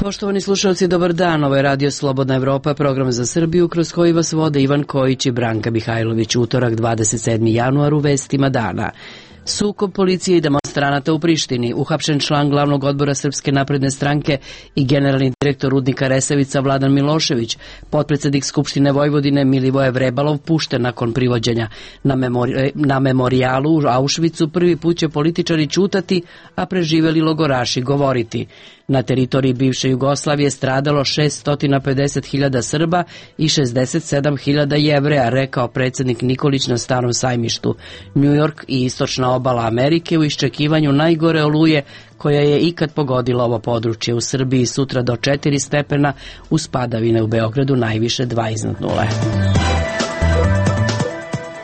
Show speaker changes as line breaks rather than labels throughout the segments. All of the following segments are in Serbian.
Poštovani slušalci, dobar dan. Ovo je Radio Slobodna Evropa, program za Srbiju kroz koji vas vode Ivan Kojić i Branka Mihajlović. Utorak 27. januar u vestima dana. Sukob policije i demonstranata u Prištini, uhapšen član glavnog odbora Srpske napredne stranke i generalni direktor rudnika Resavica Vladan Milošević, potpredsednik Skupštine Vojvodine Milivoje Vrebalov pušten nakon privođenja. Na memorijalu u Auschwitzu prvi put će političari ćutati, a preživeli logoraši govoriti. Na teritoriji bivše Jugoslavije stradalo 650.000 Srba i 67.000 Jevreja, rekao predsednik Nikolić na Starom sajmištu. New York i istočna obala Amerike u iščekivanju najgore oluje koja je ikad pogodila ovo područje. U Srbiji sutra do 4 stepena, uz padavine u Beogradu najviše 2 iznad nule.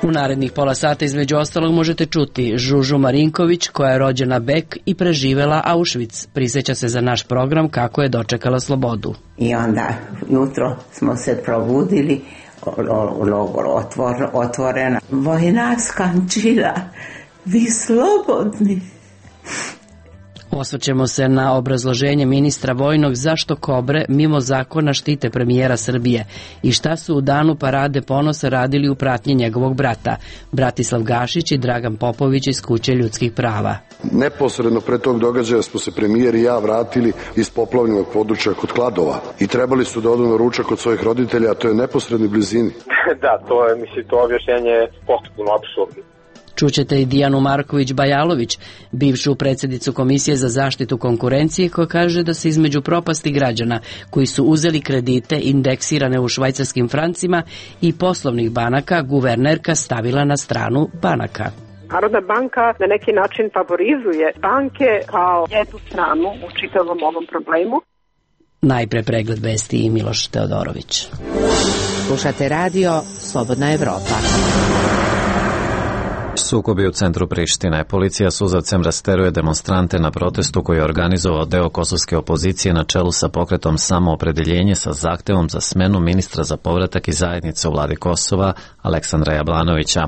U narednih pola sata između ostalog možete čuti Žužu Marinković, koja je rođena Bek i preživela Auschwitz. Prisjeća se za naš program kako je dočekala slobodu.
I onda jutro smo se probudili, logor otvorena. Vojna skončila, vi slobodni.
Osvrćemo se na obrazloženje ministra vojnog zašto kobre mimo zakona štite premijera Srbije i šta su u danu parade ponosa radili u pratnji njegovog brata, Bratislav Gašić i Dragan Popović iz Kuće ljudskih prava.
Neposredno pre tog događaja smo se premijer i ja vratili iz poplavljenog područja kod Kladova i trebali su da odu na ručak kod svojih roditelja, a to je neposrednoj blizini.
Da, to objašnjenje je potpuno apsurdno.
Čućete i Dijanu Marković-Bajalović, bivšu predsjednicu Komisije za zaštitu konkurencije, koja kaže da se između propasti građana koji su uzeli kredite indeksirane u švajcarskim francima i poslovnih banaka guvernerka stavila na stranu banaka.
Narodna banka na neki način favorizuje banke kao jednu stranu u čitavom ovom problemu.
Najpre pregled vesti i Miloš Teodorović.
Slušate radio Slobodna Evropa.
Sukobi u centru Prištine. Policija suzavcem rasteruje demonstrante na protestu koji je organizovao deo kosovske opozicije na čelu sa pokretom Samoopredeljenje sa zahtevom za smenu ministra za povratak i zajednice u vladi Kosova, Aleksandra Jablanovića.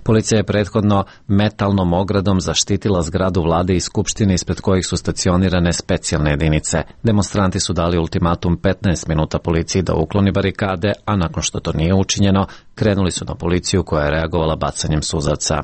Policija je prethodno metalnom ogradom zaštitila zgradu vlade i skupštine ispred kojih su stacionirane specijalne jedinice. Demonstranti su dali ultimatum 15 minuta policiji da ukloni barikade, a nakon što to nije učinjeno, krenuli su na policiju koja je reagovala bacanjem suzavca.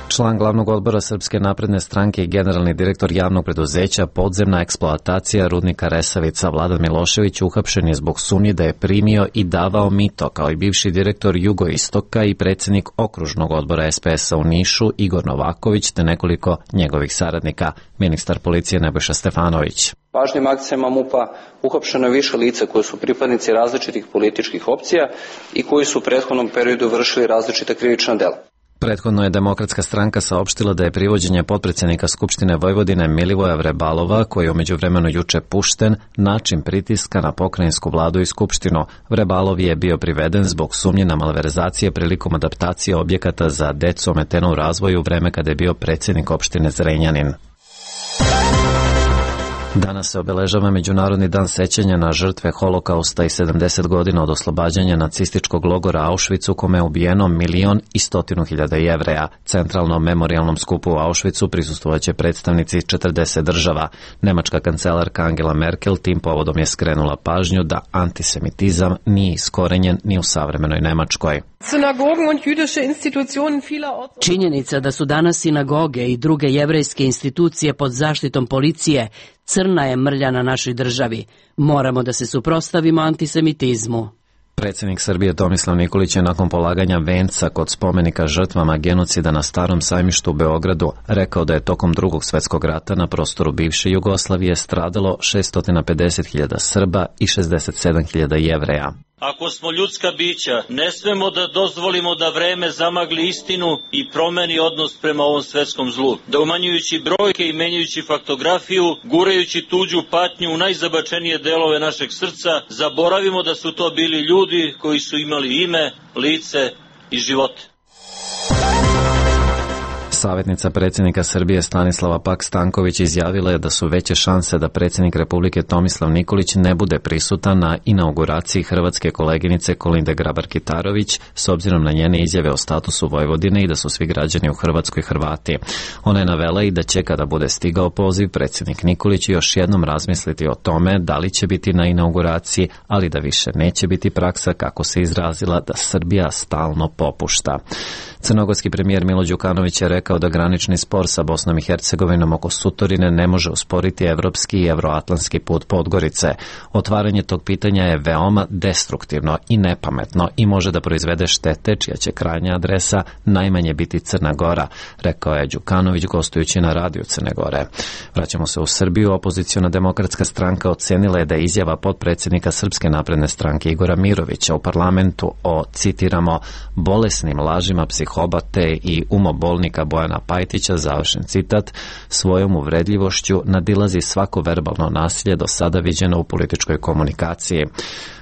Član glavnog odbora Srpske napredne stranke i generalni direktor javnog preduzeća Podzemna eksploatacija rudnika Resavica Vladan Milošević uhapšen je zbog sumnje da je primio i davao mito, kao i bivši direktor Jugoistoka i predsjednik okružnog odbora SPS-a u Nišu Igor Novaković te nekoliko njegovih saradnika, ministar policije Nebojša Stefanović.
Važnim akcijama MUP-a uhapšeno je više lica koji su pripadnici različitih političkih opcija i koji su u prethodnom periodu vršili različita krivična dela.
Prethodno je Demokratska stranka saopštila da je privođenje potpredsjednika Skupštine Vojvodine Milivoja Vrebalova, koji je u međuvremenu juče pušten, način pritiska na pokrajinsku vladu i Skupštinu. Vrebalov je bio priveden zbog sumnje na malverzacije prilikom adaptacije objekata za decu ometenu u razvoju u vreme kada je bio predsjednik opštine Zrenjanin. Danas se obeležava Međunarodni dan sećanja na žrtve Holokausta i 70 godina od oslobađanja nacističkog logora Auschwitz u kome je ubijeno 1.100.000 Jevreja. Centralnom memorijalnom skupu u Auschwitzu prisustvovaće predstavnici 40 država. Nemačka kancelarka Angela Merkel tim povodom je skrenula pažnju da antisemitizam nije iskorenjen ni u savremenoj Nemačkoj.
Činjenica da su danas sinagoge i druge jevrejske institucije pod zaštitom policije crna je mrlja na našoj državi. Moramo da se suprotstavimo antisemitizmu.
Predsjednik Srbije Tomislav Nikolić je nakon polaganja venca kod spomenika žrtvama genocida na Starom sajmištu u Beogradu rekao da je tokom Drugog svjetskog rata na prostoru bivše Jugoslavije stradalo 650.000 Srba i 67.000 Jevreja.
Ako smo ljudska bića, ne smemo da dozvolimo da vreme zamagli istinu i promeni odnos prema ovom svetskom zlu. Da umanjujući brojke i menjajući faktografiju, gurajući tuđu patnju u najzabačenije delove našeg srca, zaboravimo da su to bili ljudi koji su imali ime, lice i živote.
Savjetnica predsjednika Srbije Stanislava Pak-Stanković izjavila je da su veće šanse da predsjednik Republike Tomislav Nikolić ne bude prisutan na inauguraciji hrvatske koleginice Kolinde Grabar-Kitarović s obzirom na njene izjave o statusu Vojvodine i da su svi građani u Hrvatskoj Hrvati. Ona je navela i da će kada bude stigao poziv predsjednik Nikolić još jednom razmisliti o tome da li će biti na inauguraciji, ali da više neće biti praksa, kako se izrazila, da Srbija stalno popušta. Crnogorski premijer Milo Đukanović je rekao da granični spor sa Bosnom i Hercegovinom oko Sutorine ne može usporiti evropski i evroatlantski put Podgorice. Otvaranje tog pitanja je veoma destruktivno i nepametno i može da proizvede štete čija će krajnja adresa najmanje biti Crna Gora, rekao je Đukanović gostujući na radiju Crne Gore. Vraćamo se u Srbiju. Opoziciona demokratska stranka ocenila je da je izjava potpredsjednika Srpske napredne stranke Igora Mirovića u parlamentu o, citiramo, bolesnim lažima psihobate i umobolnika Bojana Pajtića, završen citat, svojom uvredljivošću nadilazi svako verbalno nasilje do sada viđeno u političkoj komunikaciji.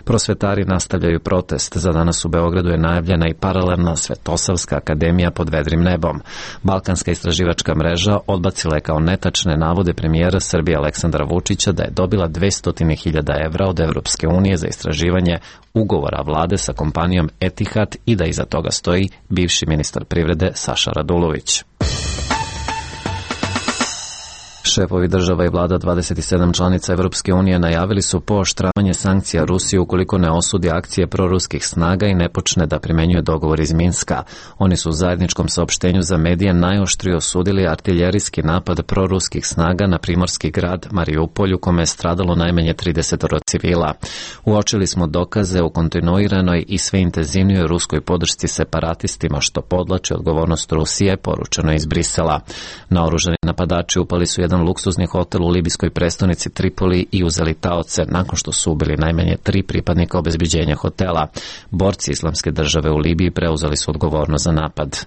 Prosvetari nastavljaju protest. Za danas u Beogradu je najavljena i paralelna Svetosavska akademija pod vedrim nebom. Balkanska istraživačka mreža odbacila je kao netačne navode premijera Srbije Aleksandra Vučića da je dobila 200.000 evra od Evropske unije za istraživanje ugovora vlade sa kompanijom Etihad i da iza toga stoji bivši ministar privrede Saša Radulović. Šefovi država i vlada 27 članica Evropske unije najavili su pooštravanje sankcija Rusiji ukoliko ne osudi akcije proruskih snaga i ne počne da primenjuje dogovor iz Minska. Oni su u zajedničkom saopštenju za medije najoštrije osudili artiljerijski napad proruskih snaga na primorski grad Mariupolj u kome je stradalo najmanje 30 civila. Uočili smo dokaze u kontinuiranoj i sve intenzivnijoj ruskoj podršci separatistima što podlači odgovornost Rusije, poručeno iz Brisela. Naoružani napadači upali su jedan luksuzni hotel u libijskoj prestonici Tripoli i uzeli taoce nakon što su ubili najmanje 3 pripadnika obezbeđenja hotela. Borci Islamske države u Libiji preuzeli su odgovornost za napad.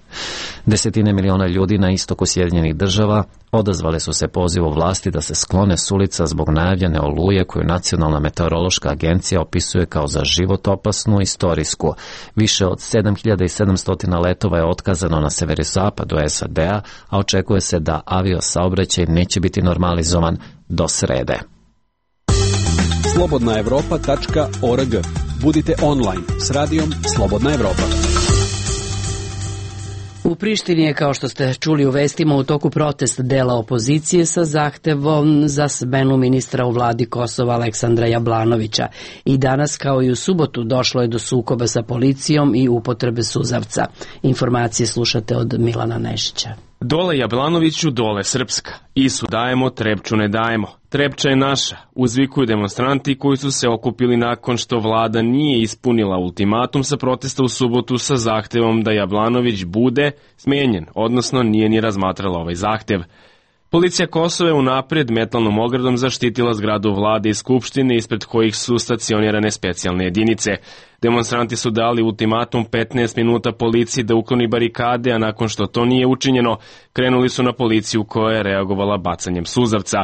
Desetine miliona ljudi na istoku Sjedinjenih država odazvale su se pozivu vlasti da se sklone s ulica zbog najavljene oluje koju Nacionalna meteorološka agencija opisuje kao za život opasnu istorijsku. Više od 7700 letova je otkazano na severozapadu SAD-a, a očekuje se da aviosaobraćaj neće biti normalizovan do srede.
slobodnaevropa.org. Budite online s radijom Slobodna Evropa.
U Prištini je, kao što ste čuli u vestima, u toku protest dela opozicije sa zahtevom za smenu ministra u vladi Kosova Aleksandra Jablanovića. I danas, kao i u subotu, došlo je do sukoba sa policijom i upotrebe suzavca. Informacije slušate od Milana Nešića.
Dole Jablanoviću, dole Srpska. Isu dajemo, Trepču ne dajemo. Trepča je naša, uzvikuju demonstranti koji su se okupili nakon što vlada nije ispunila ultimatum sa protesta u subotu sa zahtevom da Jablanović bude smenjen, odnosno nije ni razmatrala ovaj zahtev. Policija Kosova je unaprijed metalnom ogradom zaštitila zgradu vlade i skupštine ispred kojih su stacionirane specijalne jedinice. Demonstranti su dali ultimatum 15 minuta policiji da ukloni barikade, a nakon što to nije učinjeno, krenuli su na policiju koja je reagovala bacanjem suzavca.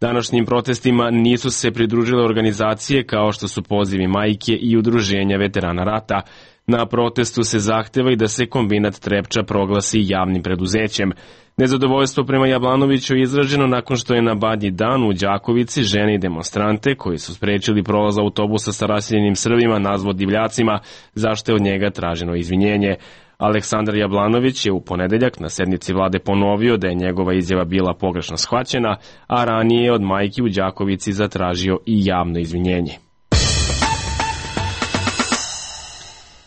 Današnjim protestima nisu se pridružile organizacije kao što su Pozivi majke i udruženja veterana rata. Na protestu se zahteva i da se kombinat Trepča proglasi javnim preduzećem. Nezadovoljstvo prema Jablanoviću je izraženo nakon što je na Badnji dan u Đakovici žene i demonstrante koji su sprečili prolaz autobusa sa raseljenim Srbima nazvao divljacima, zašto je od njega traženo izvinjenje. Aleksandar Jablanović je u ponedeljak na sednici vlade ponovio da je njegova izjava bila pogrešno shvaćena, a ranije je od majki u Đakovici zatražio i javno izvinjenje.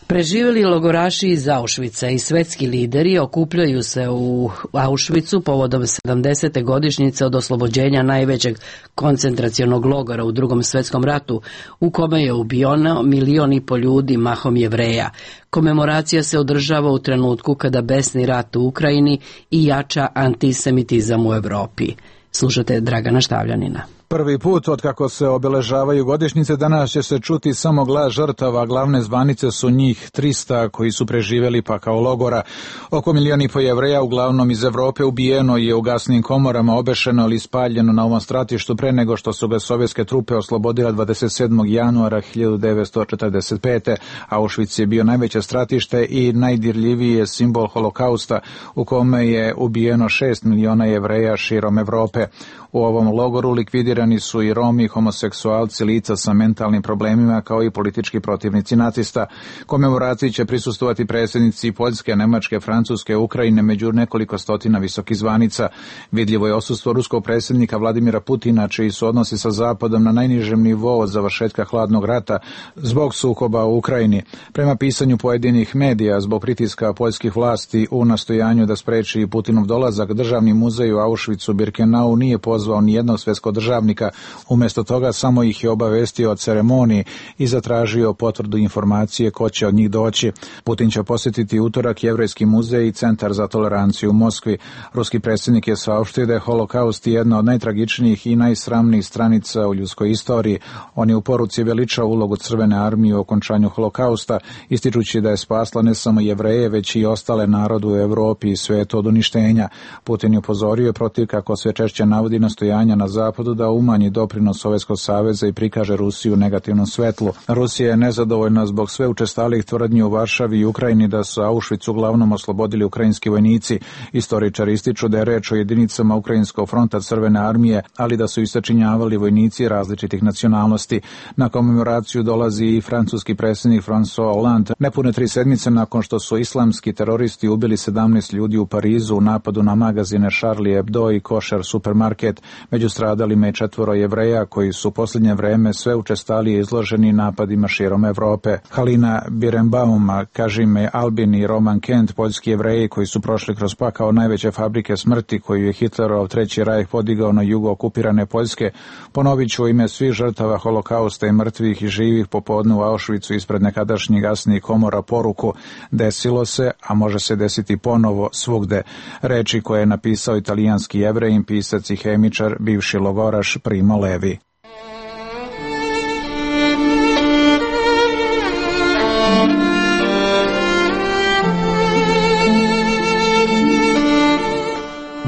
Preživjeli logoraši iz Auschwitza i svetski lideri okupljaju se u Auschwitzu povodom 70. godišnjice od oslobođenja najvećeg koncentracionog logora u Drugom svetskom ratu, u kome je ubijeno 1,5 miliona ljudi, mahom Jevreja. Komemoracija se održava u trenutku kada besni rat u Ukrajini i jača antisemitizam u Evropi. Slušate Dragana Štavljanina.
Prvi put od kako se obeležavaju godišnjice danas će se čuti samo glas žrtava, glavne zvanice su njih 300 koji su preživjeli pakao logora. Oko 1,5 miliona Jevreja, uglavnom iz Evrope, ubijeno je u gasnim komorama, obešeno ili spaljeno na ovom stratištu pre nego što su ga sovjetske trupe oslobodile 27. januara 1945. Auschwitz je bio najveće stratište i najdirljiviji je simbol holokausta u kome je ubijeno 6 miliona Jevreja širom Evrope. U ovom logoru likvidirani su i Romi, homoseksualci, lica sa mentalnim problemima kao i politički protivnici nacista. Komemoraciji će prisustvovati predsjednici Poljske, Nemačke, Francuske, Ukrajine, među nekoliko stotina visokih zvanica. Vidljivo je odsustvo ruskog predsjednika Vladimira Putina, čiji su odnosi sa Zapadom na najnižem nivou od završetka hladnog rata zbog sukoba u Ukrajini. Prema pisanju pojedinih medija, zbog pritiska poljskih vlasti u nastojanju da spreči Putinov dolazak, Državni muzej u Auschwitzu Birkenau nije pozvao nijednog svjetskog državnika, umjesto toga samo ih je obavestio o ceremoniji i zatražio potvrdu informacije ko će od njih doći. Putin će posjetiti utorak Jevrejski muzej i Centar za toleranciju u Moskvi. Ruski predsjednik je saopštio da je holokaust jedna od najtragičnijih i najsramnijih stranica u ljudskoj istoriji. On je u poruci veličao ulogu Crvene armije u okončanju holokausta, ističući da je spasla ne samo Jevreje, već i ostale narode u Europi i svijetu od uništenja. Putin je upozorio protiv, kako sve češće navodi, nastojanja na Zapadu da umanji doprinos Sovjetskog saveza i prikaže Rusiju u negativnom svetlu. Rusija je nezadovoljna zbog sve učestalih tvrdnji u Varšavi i Ukrajini da su Auschwitz uglavnom oslobodili ukrajinski vojnici. Istoričari ističu da je reč o jedinicama Ukrajinskog fronta Crvene armije, ali da su ih sačinjavali vojnici različitih nacionalnosti. Na komemoraciju dolazi i francuski predsjednik François Hollande, nepune 3 sedmice nakon što su islamski teroristi ubili 17 ljudi u Parizu u napadu na magazine Charlie Hebdo i Kosher supermarket. Među stradalima je 4 Jevreja koji su u posljednje vreme sve učestalije izloženi napadima širom Evrope. Halina Birenbaum, Kažime Albin i Roman Kent, poljski Jevreji koji su prošli kroz pakao najveće fabrike smrti koju je Hitlerov Treći rajh podigao na jugo okupirane Poljske, ponovit ću u ime svih žrtava holokausta i mrtvih i živih popodne u Auschwitzu ispred nekadašnjih gasnih komora poruku: desilo se, a može se desiti ponovo svugde. Reči koje je napisao italijanski Jevrejin, pisac i hemičar, bivši logoraš Primo Levi.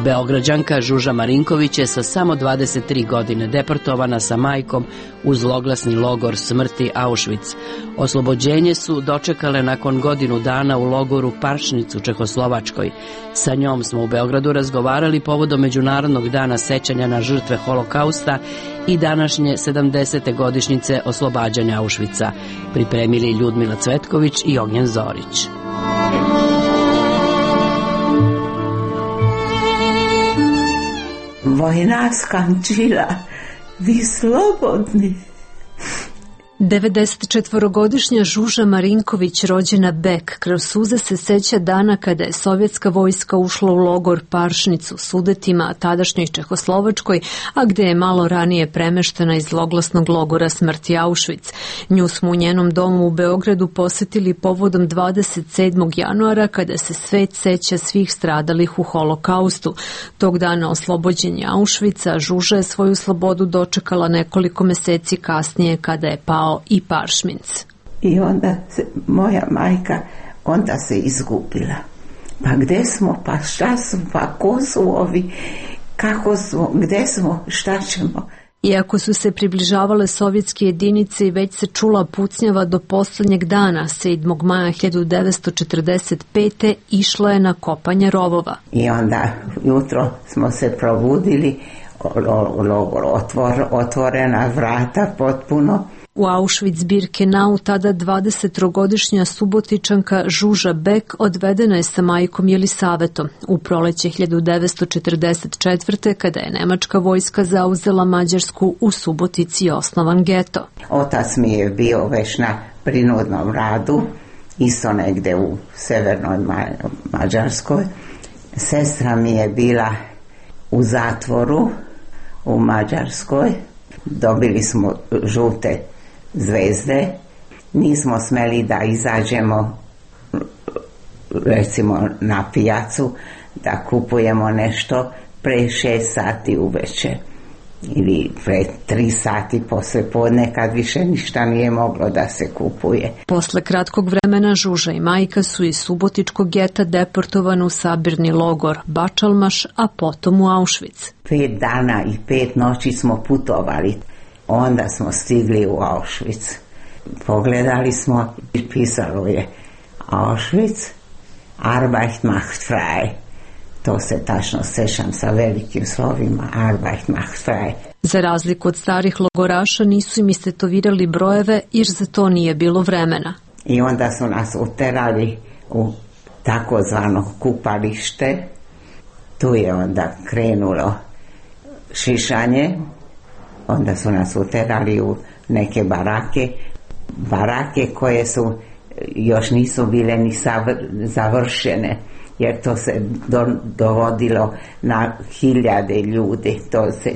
Beograđanka Žuža Marinković je sa samo 23 godine deportovana sa majkom u zloglasni logor smrti Auschwitz. Oslobođenje su dočekale nakon godinu dana u logoru Paršnic u Čehoslovačkoj. Sa njom smo u Beogradu razgovarali povodom Međunarodnog dana sećanja na žrtve holokausta i današnje 70. godišnjice oslobađanja Auschwitza. Pripremili Ljudmila Cvetković i Ognjen Zorić.
Vojna skončila, vi slobodni.
94-godišnja Žuža Marinković, rođena Bek, kroz suze se seća dana kada je sovjetska vojska ušla u logor Paršnic u Sudetima, tadašnjoj Čehoslovačkoj, a gde je malo ranije premeštena iz zloglasnog logora smrti Auschwitz. Nju smo u njenom domu u Beogradu posetili povodom 27. januara kada se svet seća svih stradalih u holokaustu. Tog dana oslobođenja Auschwitza, Žuža je svoju slobodu dočekala nekoliko meseci kasnije kada je pao i Paršminc.
I onda se moja majka onda se izgubila. Pa gde smo, pa šta smo, pa ko su ovi, kako smo, gde smo, šta ćemo?
Iako su se približavale sovjetske jedinice i već se čula pucnjava, do poslednjeg dana, 7. maja 1945. išla je na kopanje rovova.
I onda jutro smo se probudili, logor otvorena vrata potpuno.
U Auschwitz-Birkenau tada 20-godišnja Subotičanka Žuža Bek odvedena je sa majkom Jelisavetom u proleće 1944. kada je nemačka vojska zauzela Mađarsku, u Subotici osnovan geto.
Otac mi je bio već na prinudnom radu, isto negde u severnoj Mađarskoj. Sestra mi je bila u zatvoru u Mađarskoj. Dobili smo žute zvezde, nismo smeli da izađemo recimo na pijacu da kupujemo nešto pre 6 sati uveče. ili pred 3 sati posle podne kad više ništa nije moglo da se kupuje.
Posle kratkog vremena Žuža i majka su iz Subotičkog geta deportovani u sabirni logor Bačalmaš, a potom u Auschwitz.
5 dana i 5 noći smo putovali. Onda smo stigli u Auschwitz. Pogledali smo i pisalo je Auschwitz, Arbeit macht frei. To se tačno sećam sa velikim slovima, Arbeit macht frei.
Za razliku od starih logoraša nisu im istetovirali brojeve jer za to nije bilo vremena.
I onda su nas uterali u takozvano kupalište. Tu je onda krenulo šišanje. Onda su nas uterali u neke barake koje su još nisu bile ni završene, jer to se dovodilo na hiljade ljudi, to se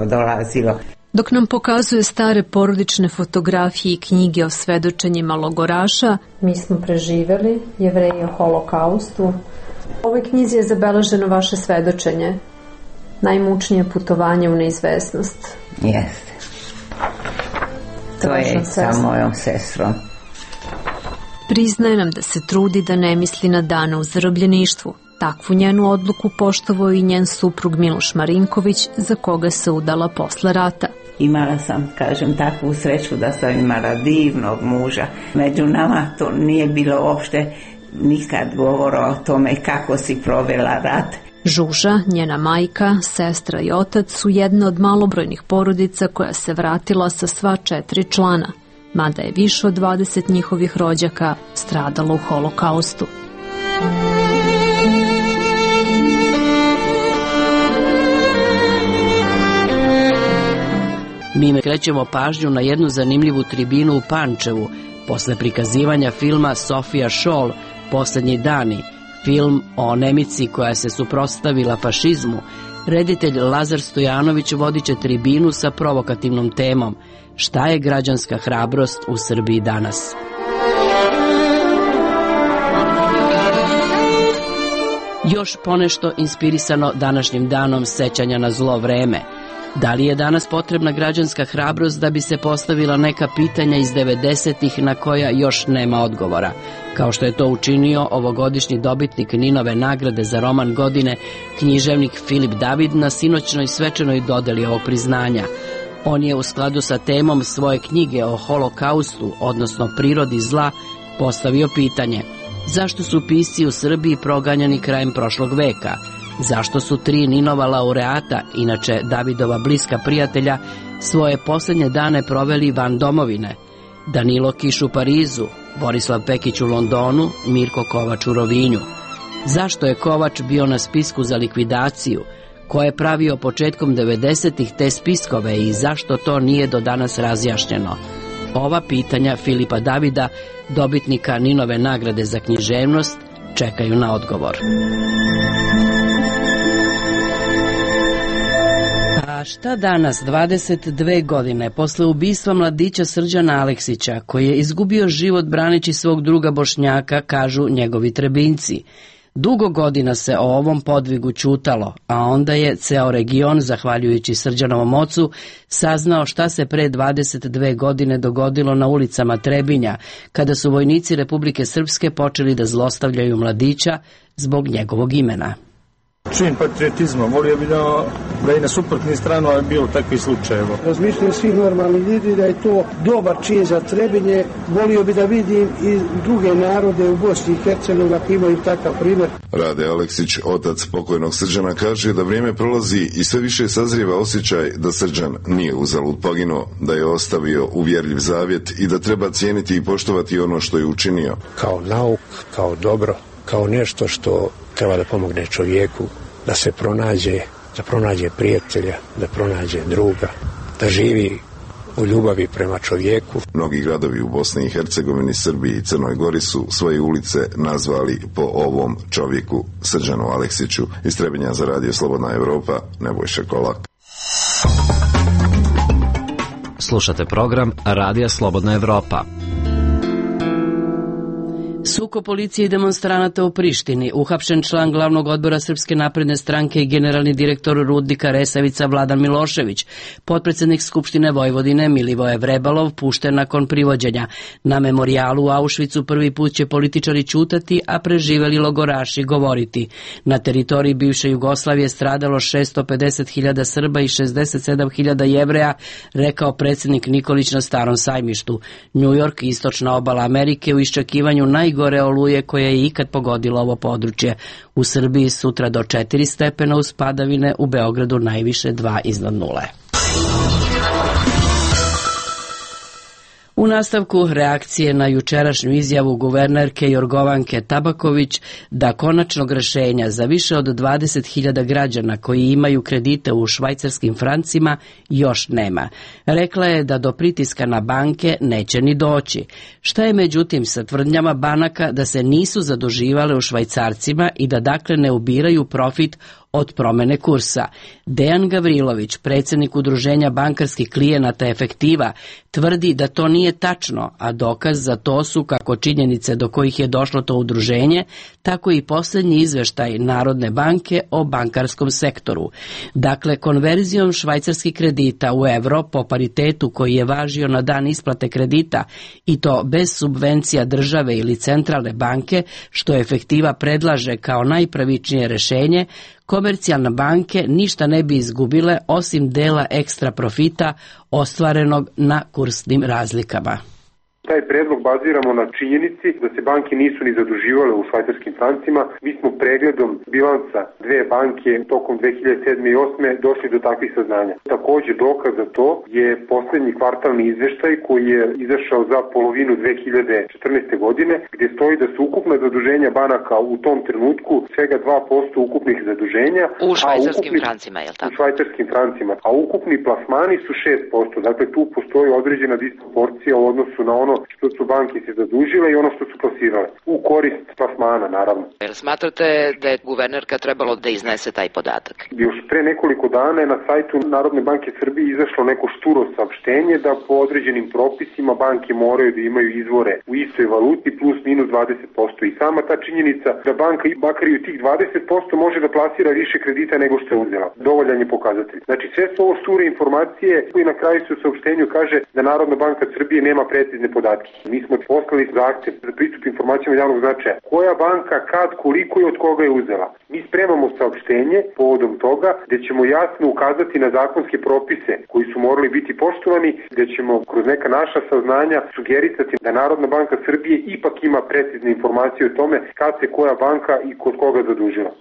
dolazilo.
Dok nam pokazuje stare porodične fotografije i knjige o svedočenjima logoraša, mi smo preživeli, Jevreji o holokaustu. U ovoj knjizi je zabeleženo vaše svedočenje, najmučnije putovanje u neizvesnost.
Jeste. To je sa mojom sestrom.
Priznaje nam da se trudi da ne misli na dane u zarobljeništvu. Takvu njenu odluku poštovao i njen suprug Miloš Marinković, za koga se udala posle rata.
Imala sam, kažem, takvu sreću da sam imala divnog muža. Među nama to nije bilo uopšte nikad govora o tome kako si provela rat.
Žuža, njena majka, sestra i otac su jedna od malobrojnih porodica koja se vratila sa sva 4 člana, mada je više od 20 njihovih rođaka stradalo u holokaustu.
Mi krećemo pažnju na jednu zanimljivu tribinu u Pančevu, posle prikazivanja filma Sofija Šol, Poslednji dani, film o Nemici koja se suprotstavila fašizmu. Reditelj Lazar Stojanović vodit će tribinu sa provokativnom temom Šta je građanska hrabrost u Srbiji danas? Još ponešto inspirisano današnjim danom sećanja na zlo vreme. Da li je danas potrebna građanska hrabrost da bi se postavila neka pitanja iz 90-ih na koja još nema odgovora, kao što je to učinio ovogodišnji dobitnik Ninove nagrade za roman godine, književnik Filip David, na sinoćnoj svečanoj dodeli ovog priznanja. On je u skladu sa temom svoje knjige o holokaustu, odnosno prirodi zla, postavio pitanje: zašto su pisci u Srbiji proganjani krajem prošlog veka? Zašto su 3 Ninova laureata, inače Davidova bliska prijatelja, svoje posljednje dane proveli van domovine? Danilo Kiš u Parizu, Borislav Pekić u Londonu, Mirko Kovač u Rovinju. Zašto je Kovač bio na spisku za likvidaciju? Ko je pravio početkom 90-ih te spiskove i zašto to nije do danas razjašnjeno? Ova pitanja Filipa Davida, dobitnika Ninove nagrade za književnost, čekaju na odgovor. A šta danas, 22 godine posle ubistva mladića Srđana Aleksića, koji je izgubio život braneći svog druga Bošnjaka, kažu njegovi Trebinjci? Dugo godina se o ovom podvigu ćutalo, a onda je ceo region, zahvaljujući Srđanovom ocu, saznao šta se pre 22 godine dogodilo na ulicama Trebinja, kada su vojnici Republike Srpske počeli da zlostavljaju mladića zbog njegovog imena.
Čin patriotizma, volio bi da i na suprotni stranu je bilo takvih slučajeva.
Razmišljaju svih normalnih ljudi da je to dobar čin za Trebinje, volio bi da vidim i druge narode u Bosni i Hercegovini ako imaju takav primjer.
Rade Aleksić, otac pokojnog Srđana, kaže da vrijeme prolazi i sve više sazrijeva osjećaj da Srđan nije uzalud poginuo, da je ostavio uvjerljiv zavjet i da treba cijeniti i poštovati ono što je učinio.
Kao nauk, kao dobro, kao nešto što treba da pomogne čovjeku da se pronađe, da pronađe prijatelja, da pronađe druga, da živi u ljubavi prema čovjeku.
Mnogi gradovi u Bosni i Hercegovini, Srbiji i Crnoj Gori su svoje ulice nazvali po ovom čovjeku, Srđanu Aleksiću. Iz Trebinja za Radio Slobodna Evropa, Nebojša Kolak.
Slušate program Radija Slobodna Evropa.
Sukob policije i demonstranata u Prištini, uhapšen član glavnog odbora Srpske napredne stranke i generalni direktor rudnika Resavica Vladan Milošević, potpredsednik Skupštine Vojvodine Milivoje Vrebalov pušten nakon privođenja. Na memorijalu u Auschwitzu prvi put će političari ćutati, a preživeli logoraši govoriti. Na teritoriji bivše Jugoslavije stradalo 650.000 Srba i 67.000 Jevreja, rekao predsednik Nikolić na Starom sajmištu. New York, istočna obala Amerike, u iščekivanju najgore oluje koja je ikad pogodila ovo područje. U Srbiji sutra do 4 stepena uz padavine, u Beogradu najviše 2 iznad nule. U nastavku reakcije na jučerašnju izjavu guvernerke Jorgovanke Tabaković da konačnog rešenja za više od 20.000 građana koji imaju kredite u švajcarskim francima još nema. Rekla je da do pritiska na banke neće ni doći. Šta je međutim sa tvrdnjama banaka da se nisu zaduživale u švajcarcima i da dakle ne ubiraju profit od promene kursa? Dejan Gavrilović, predsjednik udruženja bankarskih klijenata Efektiva, tvrdi da to nije tačno, a dokaz za to su kako činjenice do kojih je došlo to udruženje, tako i posljednji izveštaj Narodne banke o bankarskom sektoru. Dakle, konverzijom švajcarskih kredita u evro po paritetu koji je važio na dan isplate kredita i to bez subvencija države ili centralne banke, što Efektiva predlaže kao najpravičnije rešenje, komercijalne banke ništa ne bi izgubile osim dela ekstra profita ostvarenog na kursnim razlikama.
Taj predlog baziramo na činjenici da se banke nisu ni zaduživale u švajcarskim francima. Mi smo pregledom bilansa dve banke tokom 2007. i 2008. došli do takvih saznanja. Također dokaz za to je posljednji kvartalni izveštaj koji je izašao za polovinu 2014. godine, gdje stoji da su ukupna zaduženja banaka u tom trenutku svega 2% ukupnih zaduženja.
U švajcarskim francima, je li tako?
U švajcarskim francima, a ukupni plasmani su 6%. Dakle, tu postoji određena disproporcija u odnosu na ono što su banke se zadužile i ono što su plasirale. U korist plasmana, naravno.
Jel smatrate da je guvernerka trebalo da iznese taj podatak?
Još pre nekoliko dana je na sajtu Narodne banke Srbije izašlo neko šturo saopštenje da po određenim propisima banke moraju da imaju izvore u istoj valuti plus minus 20%. I sama ta činjenica da banka makar i u tih 20% može da plasira više kredita nego što je uzela. Dovoljan je pokazatelj. Znači sve su ovo šture informacije koji na kraju se u saopštenju kaže da Narodna banka Srbije nema precizne podatke. Mi smo poslali zahtev za pristup informacijama javnog značaja. Koja banka, kad, koliko i od koga je uzela. Mi spremamo saopštenje povodom toga gdje ćemo jasno ukazati na zakonske propise koji su morali biti poštovani, gdje ćemo kroz neka naša saznanja sugerisati da Narodna banka Srbije ipak ima precizne informacije o tome kad se koja banka i kod koga zadužila.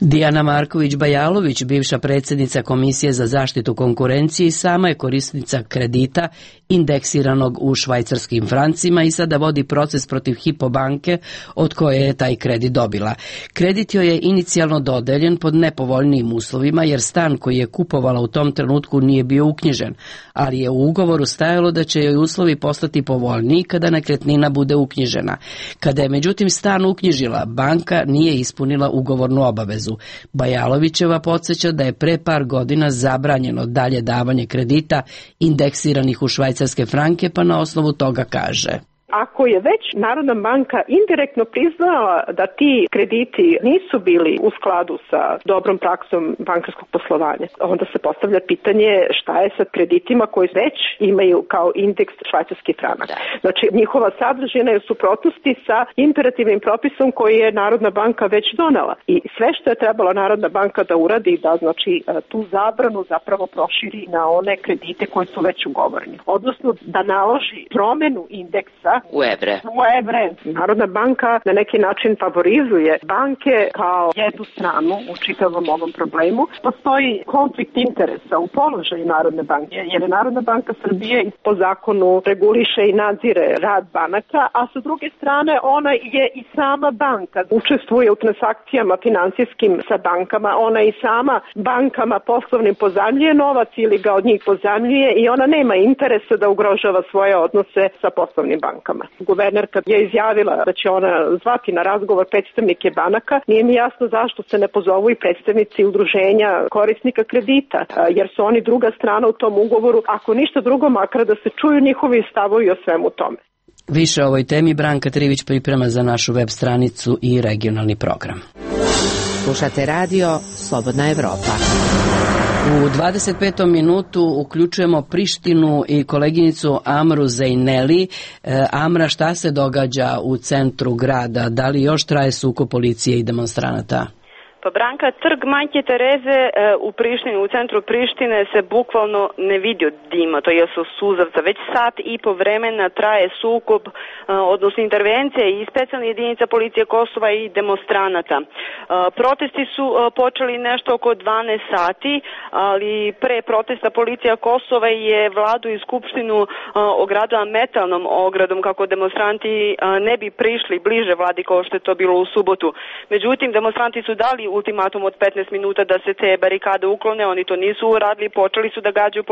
Dijana Marković-Bajalović, bivša predsjednica Komisije za zaštitu konkurencije i sama je korisnica kredita indeksiranog u švajcarskim francima i sada vodi proces protiv Hypo banke od koje je taj kredit dobila. Kredit joj je inicijalno dodeljen pod nepovoljnijim uslovima jer stan koji je kupovala u tom trenutku nije bio uknjižen, ali je u ugovoru stajalo da će joj uslovi postati povoljniji kada nekretnina bude uknjižena. Kada je međutim stan uknjižila, banka nije ispunila ugovornu obavezu. Bajalovićeva podsjeća da je pre par godina zabranjeno dalje davanje kredita indeksiranih u švajcarske franke, pa na osnovu toga kaže:
Ako je već Narodna banka indirektno priznala da ti krediti nisu bili u skladu sa dobrom praksom bankarskog poslovanja, onda se postavlja pitanje šta je sa kreditima koji već imaju kao indeks švajcarski franak. Znači, njihova sadržina je u suprotnosti sa imperativnim propisom koji je Narodna banka već donela. I sve što je trebala Narodna banka da uradi, da znači tu zabranu zapravo proširi na one kredite koji su već ugovoreni. Odnosno da naloži promenu indeksa
u evre.
Narodna banka na neki način favorizuje banke kao jednu stranu u čitavom ovom problemu. Postoji konflikt interesa u položaju Narodne banke, jer je Narodna banka Srbije po zakonu reguliše i nadzire rad banaka, a sa druge strane ona je i sama banka. Učestvuje u transakcijama finansijskim sa bankama, ona i sama bankama poslovnim pozajmljuje novac ili ga od njih pozajmljuje i ona nema interesa da ugrožava svoje odnose sa poslovnim bankama. Guvernerka je izjavila da će ona zvati na razgovor predstavnike banaka. Nije mi jasno zašto se ne pozovu i predstavnici udruženja korisnika kredita, jer su oni druga strana u tom ugovoru. Ako ništa drugo, makar da se čuju njihovi stavovi o svemu tome.
Više o ovoj temi Branka Trivić priprema za našu web stranicu i regionalni program.
Slušate radio Slobodna Evropa.
U 25. minutu uključujemo Prištinu i koleginicu Amru Zejneli. Amra, šta se događa u centru grada? Da li još traje sukob policije i demonstranata?
Pa Branka, trg Majke Tereze u Prištini, u centru Prištine se bukvalno ne vidi od dima, to je suzavca. Već sat i po vremena traje sukob, odnosno intervencije i specijalne jedinica policije Kosova i demonstranata. Protesti su počeli nešto oko 12 sati, ali pre protesta policija Kosova je vladu i skupštinu ogradila metalnom ogradom kako demonstranti ne bi prišli bliže vladi kao što je to bilo u subotu. Međutim, demonstranti su dali ultimatum od 15 minuta da se te barikade uklone, oni to nisu uradili, počeli su da gađaju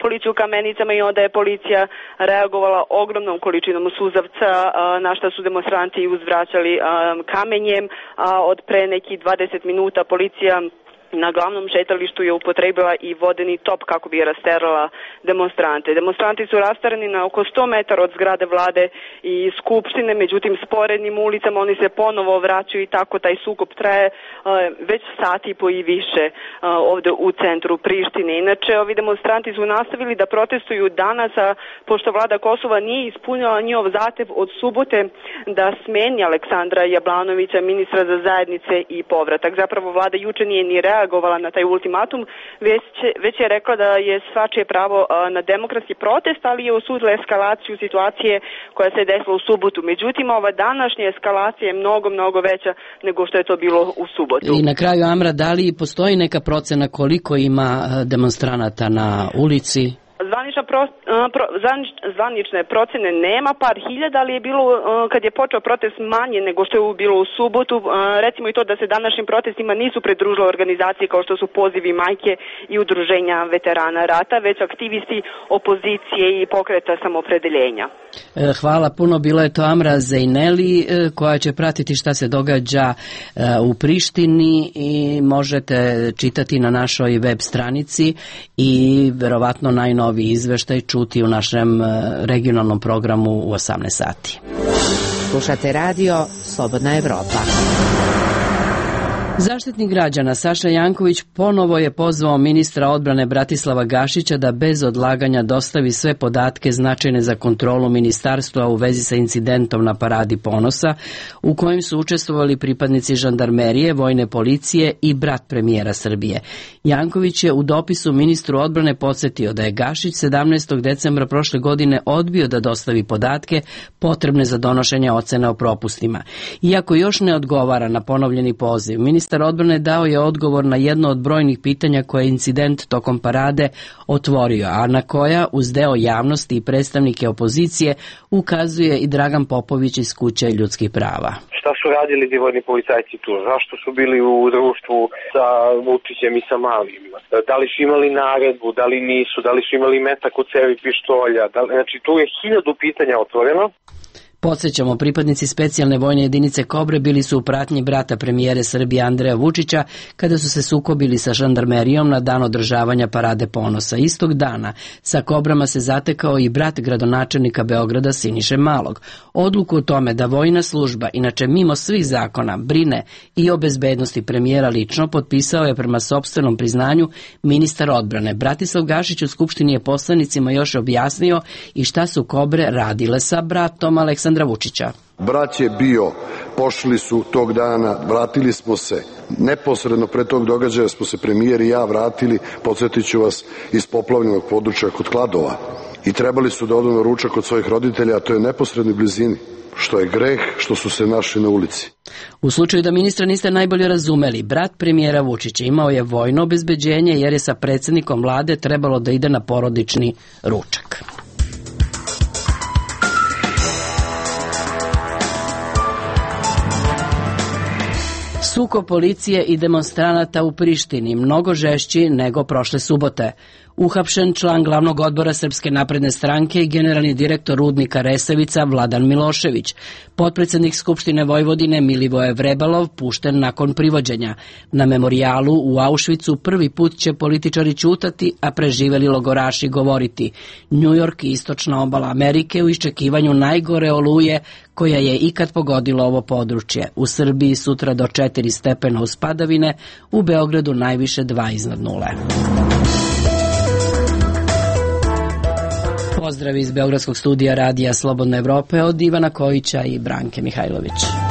policiju kamenicama i onda je policija reagovala ogromnom količinom suzavca, na šta su demonstranti uzvraćali kamenjem, od pre nekih 20 minuta policija na glavnom šetalištu je upotrebila i vodeni top kako bi rasterala demonstrante. Demonstranti su rastarani na oko 100 metara od zgrade vlade i skupštine, međutim sporednim ulicama oni se ponovo vraćaju i tako taj sukob traje već sat i po i više ovde u centru Prištine. Inače, ovi demonstranti su nastavili da protestuju danas, a pošto vlada Kosova nije ispunila njihov zahtev od subote da smeni Aleksandra Jablanovića, ministra za zajednice i povratak. Zapravo vlada juče nije ni reagovala na taj ultimatum, već je rekla da je svačije pravo na demokratski protest, ali je osudila eskalaciju situacije koja se desila u subotu. Međutim, ova današnja eskalacija je mnogo veća nego što je to bilo u subotu.
I na kraju, Amra, da li postoji neka procena koliko ima demonstranata na ulici?
Zvanične procene nema, par hiljada, ali je bilo, kad je počeo protest, manje nego što je bilo u subotu. Recimo i to da se današnjim protestima nisu pridružile organizacije kao što su Pozivi majke i udruženja veterana rata, već aktivisti opozicije i pokreta samopredeljenja.
Hvala puno, bila je to Amra Zejneli koja će pratiti šta se događa u Prištini i možete čitati na našoj web stranici i verovatno najnoviji izveštaj čuti u našem regionalnom programu u 18 sati.
Slušate radio Slobodna Evropa.
Zaštitnik građana Saša Janković ponovo je pozvao ministra odbrane Bratislava Gašića da bez odlaganja dostavi sve podatke značajne za kontrolu ministarstva u vezi sa incidentom na Paradi ponosa u kojem su učestvovali pripadnici žandarmerije, vojne policije i brat premijera Srbije. Janković je u dopisu ministru odbrane podsjetio da je Gašić 17. decembra prošle godine odbio da dostavi podatke potrebne za donošenje ocene o propustima. Iako još ne odgovara na ponovljeni poziv, ministar odbrane dao je odgovor na jedno od brojnih pitanja koje je incident tokom parade otvorio, a na koja uz deo javnosti i predstavnike opozicije ukazuje i Dragan Popović iz Kuće ljudskih prava.
Šta su radili ti vojni policajci tu? Zašto su bili u društvu sa Vučićem i sa Malim? Da li su imali naredbu, da li nisu, da li su imali metak u cevi pištolja? Znači tu je 1000 pitanja otvoreno.
Podsjećamo, pripadnici specijalne vojne jedinice Kobre bili su u pratnji brata premijere Srbije Andreja Vučića kada su se sukobili sa žandarmerijom na dan održavanja Parade ponosa. Istog dana sa Kobrama se zatekao i brat gradonačelnika Beograda Siniše Malog. Odluku o tome da vojna služba, inače mimo svih zakona, brine i o bezbednosti premijera lično, potpisao je prema sopstvenom priznanju ministar odbrane. Bratislav Gašić u Skupštini je poslanicima još objasnio i šta su Kobre radile sa bratom Aleksandra Vučića.
Brat je bio, pošli su tog dana, vratili smo se. Neposredno pre tog događaja smo se premijer i ja vratili, podsjetit ću vas, iz poplavljenog područja kod Kladova. I trebali su da odu na ručak kod svojih roditelja, a to je neposrednoj blizini. Što je greh, što su se našli na ulici.
U slučaju da ministra niste najbolje razumeli, brat premijera Vučića imao je vojno obezbeđenje jer je sa predsjednikom vlade trebalo da ide na porodični ručak. Sukob policije i demonstranata u Prištini mnogo žešći nego prošle subote. Uhapšen član glavnog odbora Srpske napredne stranke i generalni direktor rudnika Resavica Vladan Milošević. Potpredsednik Skupštine Vojvodine Milivoje Vrebalov pušten nakon privođenja. Na memorijalu u Auschwitzu prvi put će političari ćutati, a preživeli logoraši govoriti. Njujork i istočna obala Amerike u iščekivanju najgore oluje koja je ikad pogodila ovo područje. U Srbiji sutra do 4 stepena uz padavine, u Beogradu najviše 2 iznad nule. Pozdrav iz Beogradskog studija Radija Slobodne Evrope od Ivana Kojića i Branke Mihajlović.